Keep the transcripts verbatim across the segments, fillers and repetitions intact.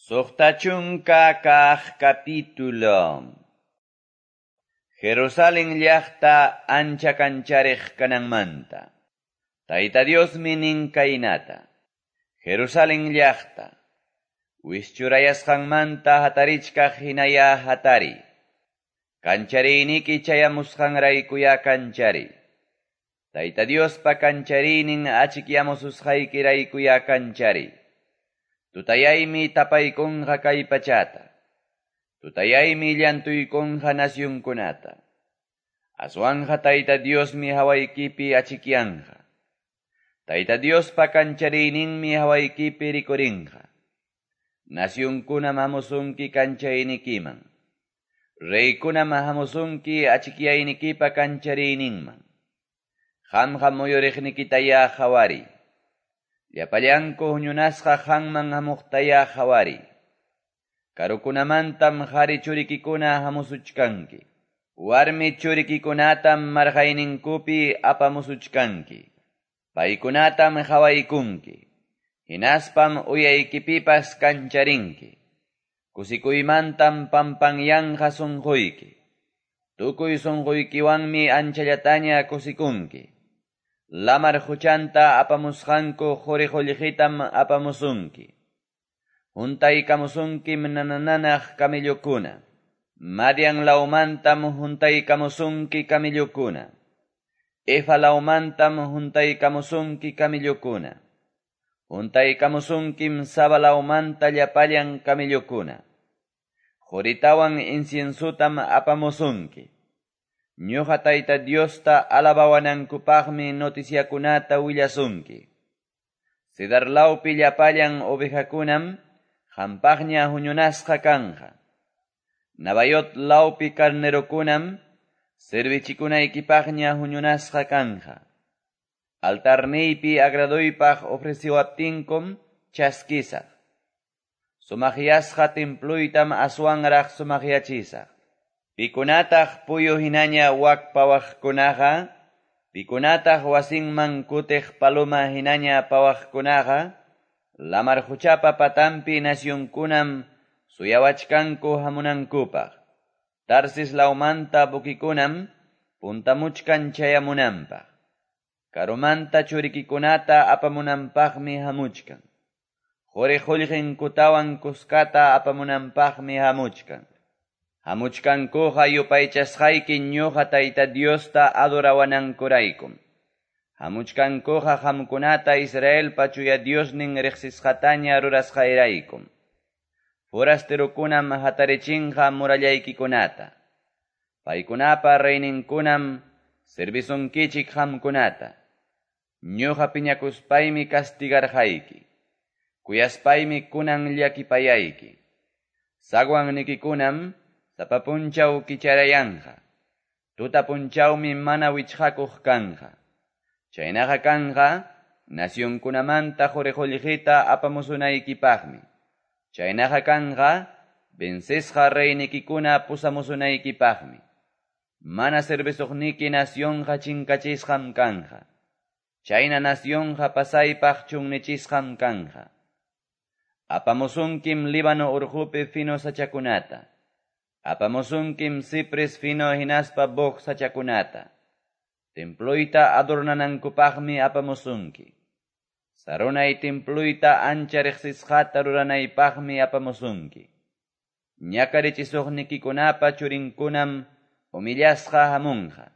Suqta chunka kaq capítulo. Jerusalén llaqta ancha kanchariq kananmanta. Tayta Diosmi nin kaynata. Jerusalén llaqta. Wischurayasqanmanta hatarichkaq hinaya hatari. Kanchariyniki chayamusqanraykuya kanchari. Tayta Diospa kanchariynin achikyamususqaykiraykuya kanchari. Tutayaymi tapaykunqa kay pachata. Tutayaymi llantuykunqa nasyunkunata. Aswanja Tayta Diosmi hawaykipi achikyanqa. Tayta Diospa kanchariyninmi hawaykipi rikurinqa. Nasyunkunam hamusunki kanchaynikiman. Reykunam hamusunki achikyaynikipa kanchariyninman. Qamqa muyuriqnikitaya qhawari. Llapallanku huñunasqa qanman hamuqtaya qhawari. Karukunamantam qhari churikikuna hamusuchkanki. Warmi churikikunatam marqayninkupi apamusuchkanki. Paykunatam qhawaykunki. Hinaspam uyaykipipas kancharinki. Kusikuymantam pampanyanqa sunquyki. Tukuy sunquykiwanmi anchallataña kusikunki. Lamar quchanta apamusqanku quri qullqitam apamusunki. Huntaykamusunkim nanananaq camellokuna. Madian lawmantam huntaykamusunki camellokuna. Efa lawmantam huntaykamusunki camellokuna. Huntaykamusunkim Saba lawmanta llapallan camellokuna. Quritawan inciensutam apamusunki. Ñuqa Tayta Diosta alabawanankupaqmi noticiakunata willasunki. Cedar lawpi llapallan ovejakunam qampaqña huñunasqa kanqa. Nabayot lawpi carnerokunam servichikunaykipaqña huñunasqa kanqa. Altarniypi agradoypaq ofreciwaptinkum chaskisaq. Sumaqyasqa templuytam aswanraq sumaqyachisaq. Pikunataq puyu hinaña wak pawaqkunaqa, pikunataq wasinman kutiq paloma hinaña pawaqkunaqa, lamar quchapa patampi nasyunkunam suyawachkanku hamunankupaq. Tarsis lawmanta buquikunam puntamuchkan chayamunanpaq. Karumanta churikikunata apamunanpaqmi hamuchkan. Quri qullqinkutawan kuskata apamunanpaqmi hamuchkan. Hamuchkankuqa yupaychasqayki ñuqa Tayta Diosta adorawanankuraykum. Hamuchkankuqa qamkunata Israelpa chuya Diosnin riqsisqataña rurasqayraykum. Forasterokunam hatarichinqa murallaykikunata. Paykunapa reyninkunam servisunkichik qamkunata. Ñuqa piñakuspaymi castigarqayki. Kuyaspaymi kunan llakipayayki. Sagwannikikunam sapa punchaw kicharayanqa. Tuta punchawmi mana wichqakuq kanqa. Chaynaqa kanqa nasyunkunamanta quri qullqita apamusunaykipaqmi. Chaynaqa kanqa vencesqa reynikikuna pusamusunaykipaqmi. Mana servisuqniki nasyunqa chinkachisqam kanqa. Chayna nasyunqa pasaypaq chunnichisqam kanqa. Apamusunkim Líbano urqupi fino sachakunata. Apamusunkim cipres fino hinaspa boj sachakunata. Temployta adornanankupaqmi apamusunki. Sarunay temployta ancha riqsisqata ruranaypaqmi apamusunki. Ñakarichisuqnikikunapa churinkunam humillasqa hamunqa.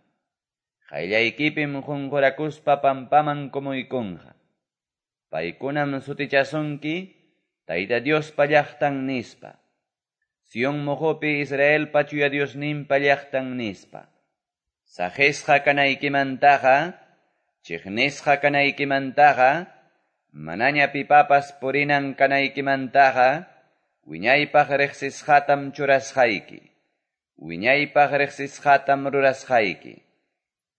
Qayllaykipim qunqurakuspa pampaman kumuykunqa. Paykunam sutichasunki Tayta Diospa llaqtan nispa. Sion mojopi Israelpa chuya Diosninpa llaqtan nispa. Saqisqa kanaykimantaqa, chiqnisqa kanaykimantaqa, manaña pipapas purinan kanaykimantaqa, wiñaypaq riqsisqatam churasqayki. Wiñaypaq riqsisqatam rurasqayki.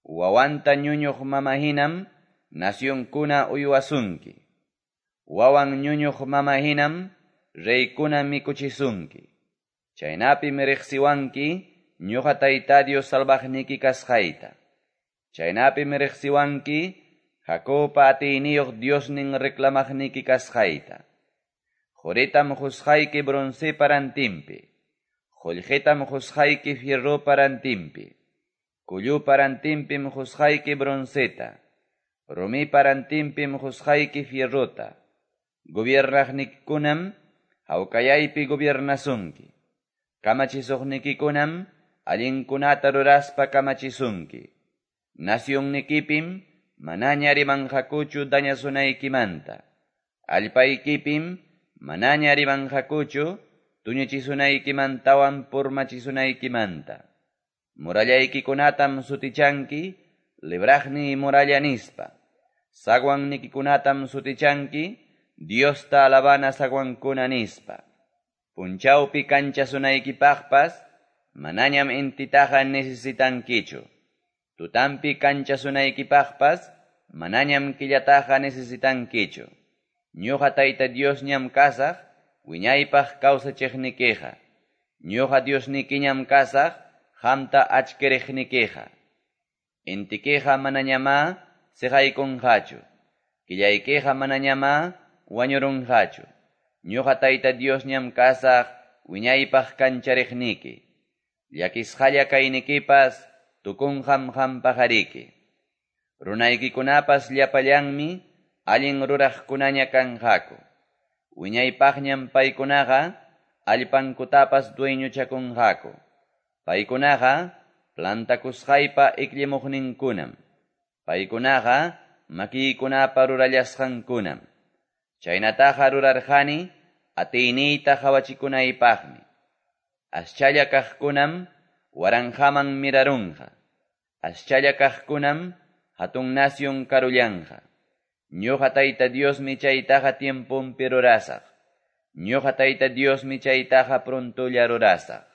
Wawanta ñuñuq mama hinam nasyunkuna uywasunki. Wawan ñuñuq mama hinam reykuna mikuchisunki. Chaynapim riqsiwanki ñuqa Tayta Dios salvaqniki kasqayta. Chaynapim riqsiwanki Jacobpa atiyniyuq Diosnin reclamaqniki kasqayta. Qoritam qosqayki broncepa rantinpi. Qollqetam qosqayki fierropa rantinpi. Kullupa rantinpim qosqayki bronceta. Rumipa rantinpim qosqayki fierrota. Gobiernaqnikikunam hawkayaypi gobiernasunki. Kamachisuqnikikunam allinkunata ruraspa kamachisunki. Nacionnikipim manaña rimanqakuchu dañasunaykimanta. Allpaykipim manaña rimanqakuchu tuñichisunaykimantawan purmachisunaykimanta. Murallaykikunatam sutichanki libraqni muralla nispa. Zaguannikikunatam sutichanki Diosta alabana zaguankuna nispa. Punchawpi kanchasunaykipaqpas manañam intitaqa necesitankichu. Tutampi kanchasunaykipaqpas manañam killataqa necesitankichu. Ñuqa Tayta Diosñam kasaq wiñaypaq kawsachiqnikiqa. Ñuqa Diosnikiñam kasaq qamta achkiriqnikiqa. Intikiqa manañamá siqaykunqachu. Killaykiqa manañamá wañurunqachu. Ñuqa Tayta Diosñam kasaq wiñaypaq kanchariqniki. Llakisqalla kaynikipas tukunqam qampaqariki. Runaykikunapas llapallanmi allin ruraqkunaña kanqaku. Wiñaypaqñam paykunaqa allpankutapas dueñochakunqaku. Paykunaqa plantakusqaypa ikllimuqninkunam. Paykunaqa makiykunapa rurallasqankunam. Chaynataqa rurarqani atiyniyta qawachikunaypaqmi. Aschalla kaqkunam waranqaman mirarunqa. Aschalla kaqkunam hatun nación karullanqa. Ñuqa Tayta Diosmi chaytaqa tiemponpi rurasaq. Ñuqa Tayta Diosmi chaytaqa prontolla rurasaq.